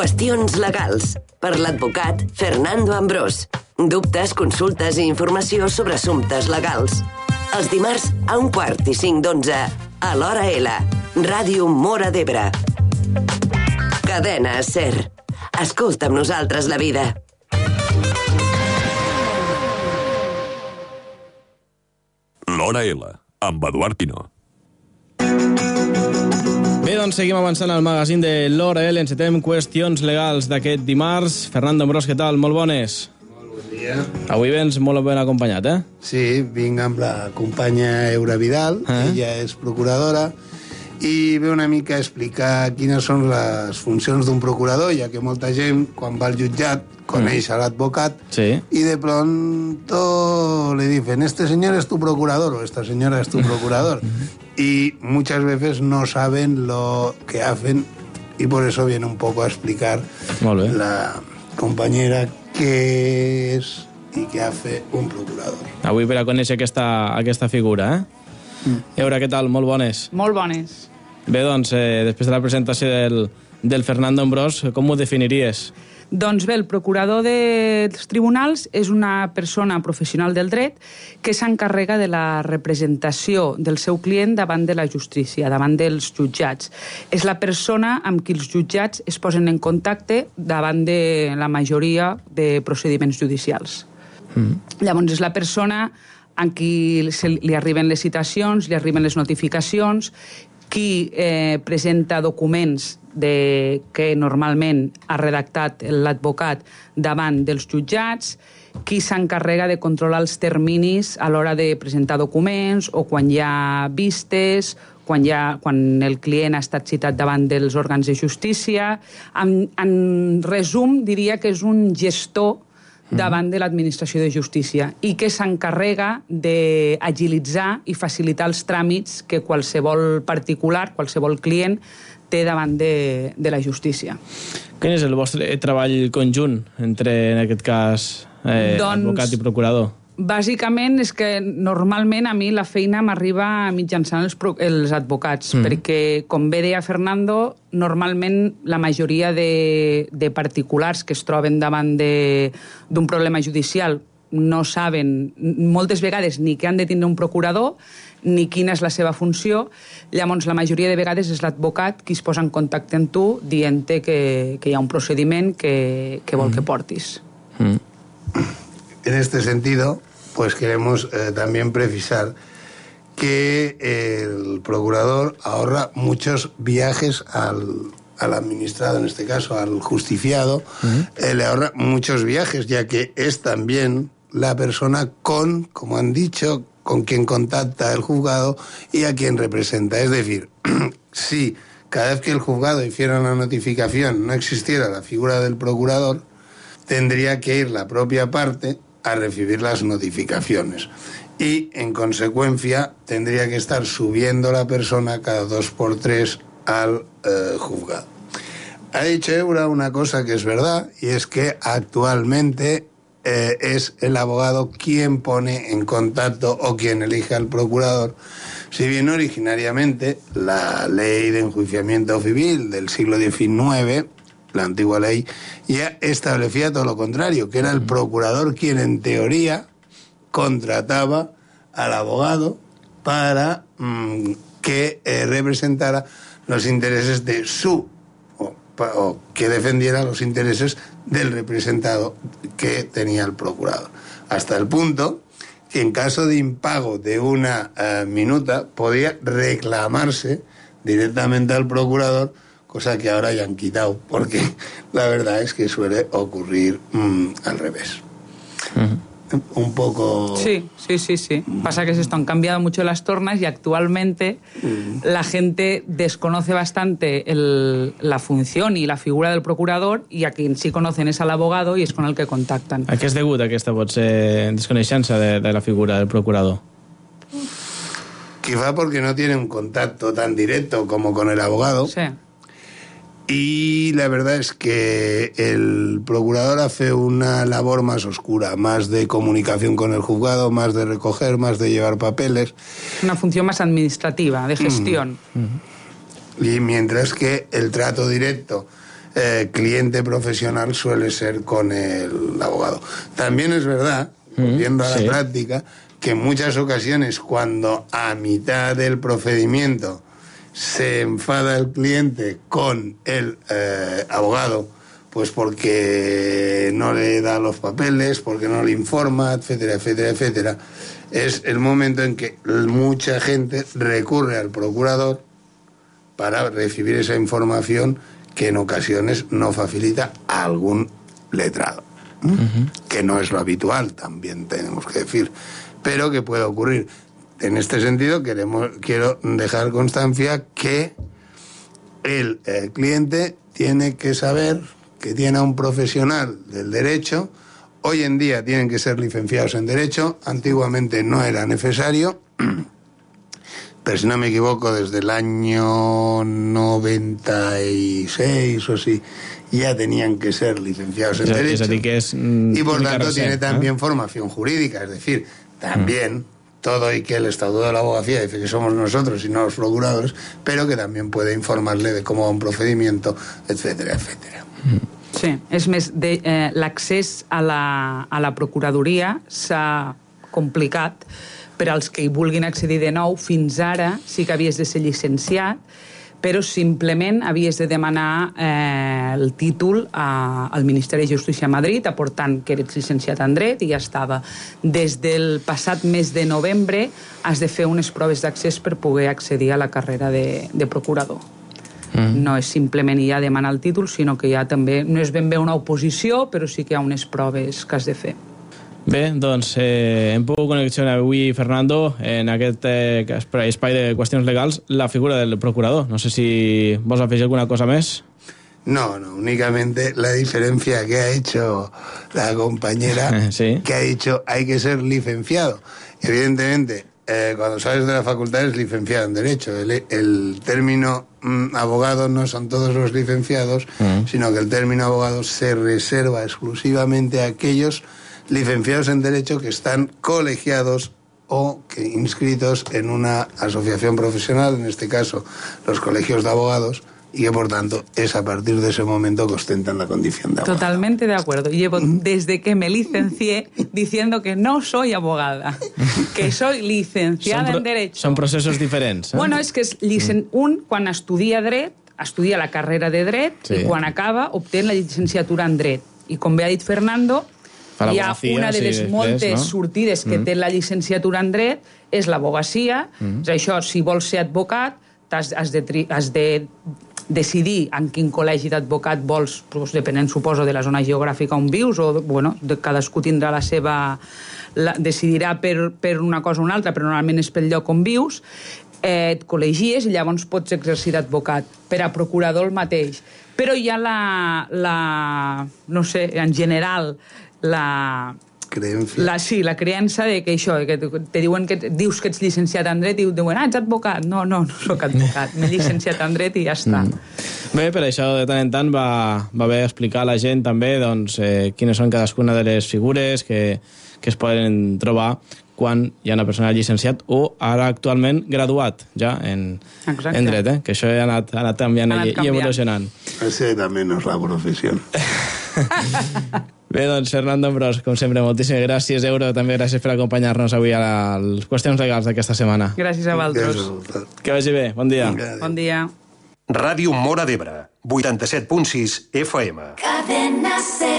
Qüestions legals, per l'advocat Fernando Ambrós. Dubtes, consultes i informació sobre assumptes legals. Els dimarts a 1:45 a l'Hora L. Ràdio Móra d'Ebre. Cadena SER. Escolta amb nosaltres la vida. L'Hora L, amb Eduard Pino. Bé, doncs seguim avançant al magazín de l'Hora L. Encetem qüestions legals d'aquest dimarts. Fernando Ambrós, què tal? Molt bones. Molt bon dia. Avui vens molt ben acompanyat, eh? Sí, vinc amb la companya Eura Vidal, ella és procuradora, i ve una mica a explicar quines són les funcions d'un procurador, ja que molta gent, quan va al jutjat, coneix a l'advocat, sí, y de pronto le dicen, este señor es tu procurador, o esta señora es tu procurador. Y muchas veces no saben lo que hacen, y por eso viene un poco a explicar la compañera qué es y qué hace un procurador. Avui per a conèixer aquesta figura, eh? Eura, què tal? Molt bones. Molt bones. Bé, doncs, després de la presentació del Fernando Ambrós, com ho definiries? Doncs bé, el procurador dels tribunals és una persona professional del dret que s'encarrega de la representació del seu client davant de la justícia, davant dels jutjats. És la persona amb qui els jutjats es posen en contacte davant de la majoria de procediments judicials. Llavors, és la persona en qui li arriben les citacions, li arriben les notificacions, qui presenta documents que normalment ha redactat l'advocat davant dels jutjats, qui s'encarrega de controlar els terminis a l'hora de presentar documents o quan hi ha vistes, quan el client ha estat citat davant dels òrgans de justícia. En resum, diria que és un gestor davant de l'administració de justícia i que s'encarrega d'agilitzar i facilitar els tràmits que qualsevol particular, qualsevol client, té davant de la justícia. Quin és el vostre treball conjunt entre, en aquest cas, advocat i procurador? Bàsicament és que normalment a mi la feina m'arriba mitjançant els advocats, perquè, com bé deia Fernando, normalment la majoria de particulars que es troben davant d'un problema judicial no saben moltes vegades ni què han de tindre un procurador ni quina és la seva funció. Llavors, la majoria de vegades és l'advocat qui es posa en contacte amb tu dient-te que hi ha un procediment que vol que portis. En este sentido, pues queremos también precisar que el procurador ahorra muchos viajes al administrado, en este caso al justiciado, le ahorra muchos viajes, ya que es también la persona como han dicho, con quien contacta el juzgado y a quien representa. Es decir, si cada vez que el juzgado hiciera una notificación no existiera la figura del procurador, tendría que ir la propia parte a recibir las notificaciones y, en consecuencia, tendría que estar subiendo la persona cada 2x3 al juzgado. Ha dicho Eura una cosa que es verdad, y es que actualmente es el abogado quien pone en contacto o quien elige al procurador, si bien originariamente la ley de enjuiciamiento civil del siglo XIX, la antigua ley, ya establecía todo lo contrario, que era el procurador quien en teoría contrataba al abogado para que representara los intereses de o que defendiera los intereses del representado que tenía el procurador. Hasta el punto que en caso de impago de una minuta podía reclamarse directamente al procurador, cosa que ahora ya han quitado, porque la verdad es que suele ocurrir al revés. Un poco... Sí. Pasa que han cambiado mucho las tornas y actualmente la gente desconoce bastante la función y la figura del procurador, y a quien sí conocen es al abogado y es con el que contactan. A què és degut aquesta desconeixença de la figura del procurador? Quizá porque no tiene un contacto tan directo como con el abogado. Sí. Y la verdad es que el procurador hace una labor más oscura, más de comunicación con el juzgado, más de recoger, más de llevar papeles. Una función más administrativa, de gestión. Y mientras que el trato directo cliente profesional suele ser con el abogado. También es verdad, volviendo a la práctica, que en muchas ocasiones cuando a mitad del procedimiento se enfada el cliente con el abogado, pues porque no le da los papeles, porque no le informa, etcétera, etcétera, etcétera, es el momento en que mucha gente recurre al procurador para recibir esa información que en ocasiones no facilita a algún letrado, que no es lo habitual, también tenemos que decir, pero que puede ocurrir. En este sentido, quiero dejar constancia que el cliente tiene que saber que tiene a un profesional del derecho. Hoy en día tienen que ser licenciados en Derecho, antiguamente no era necesario, pero si no me equivoco, desde el año 96 o así, ya tenían que ser licenciados en Derecho. Y por tanto tiene también formación jurídica, es decir, también todo y que el Estatuto de la Abogacía dice que somos nosotros y no los procuradores, pero que también puede informarle de cómo va un procedimiento, etcétera, etcétera. Sí, és més, l'accés a la Procuradoria s'ha complicat per als que hi vulguin accedir de nou. Fins ara sí que havies de ser llicenciat, però simplement havies de demanar el títol al Ministeri de Justícia a Madrid, aportant que eres llicenciat en dret, i ja estava. Des del passat mes de novembre has de fer unes proves d'accés per poder accedir a la carrera de procurador. No és simplement ja demanar el títol, sinó que ja també no és ben bé una oposició, però sí que hi ha unes proves que has de fer. Bé, doncs hem pogut conneccionar avui, Fernando, en aquest espai de qüestions legals, la figura del procurador. No sé si vols afegir alguna cosa més. No, únicamente la diferencia que ha hecho la compañera, ¿sí? Que ha dicho hay que ser licenciado. Evidentemente, cuando sales de la facultad eres licenciado en Derecho. El término abogado no son todos los licenciados, sino que el término abogado se reserva exclusivamente a aquellos licenciados en Derecho que están colegiados o que inscritos en una asociación profesional, en este caso los colegios de abogados, y que por tanto es a partir de ese momento que ostentan la condición de abogado. Totalmente de acuerdo. Llevo desde que me licencié diciendo que no soy abogada, que soy licenciada en Derecho. Son procesos diferents. Bueno, és que un, quan estudia dret, estudia la carrera de dret, i quan acaba obté la llicenciatura en dret. I com bé ha dit Fernando, hi ha una de les moltes sortides que té la llicenciatura en dret, és l'abogacia. És això, si vols ser advocat, has de decidir en quin col·legi d'advocat vols, depenent, suposo, de la zona geogràfica on vius, o, bueno, cadascú tindrà la seva... decidirà per una cosa o una altra, però normalment és pel lloc on vius, et col·legies i llavors pots exercir d'advocat. Per a procurador el mateix. Però hi ha no sé, en general, la creença de que això, que te diuen que dius que ets llicenciat en dret i diuen, ets advocat. No soc advocat, m'he llicenciat en dret i ja està. Bé, per això de tant en tant va bé explicar a la gent també quines són cadascuna de les figures que es poden trobar quan hi ha una persona llicenciat o ara actualment graduat ja en dret, que això ha anat canviant i evolucionant. Ese també no és la professió. Bé, doncs, Fernando Ambrós, com sempre, moltíssimes gràcies, Euro, també gràcies per acompanyar-nos avui a les qüestions legals d'aquesta setmana. Gràcies a vosaltres. Que vagi bé, bon dia. Bon dia. Ràdio Móra d'Ebre, 87.6 FM. Cadena C.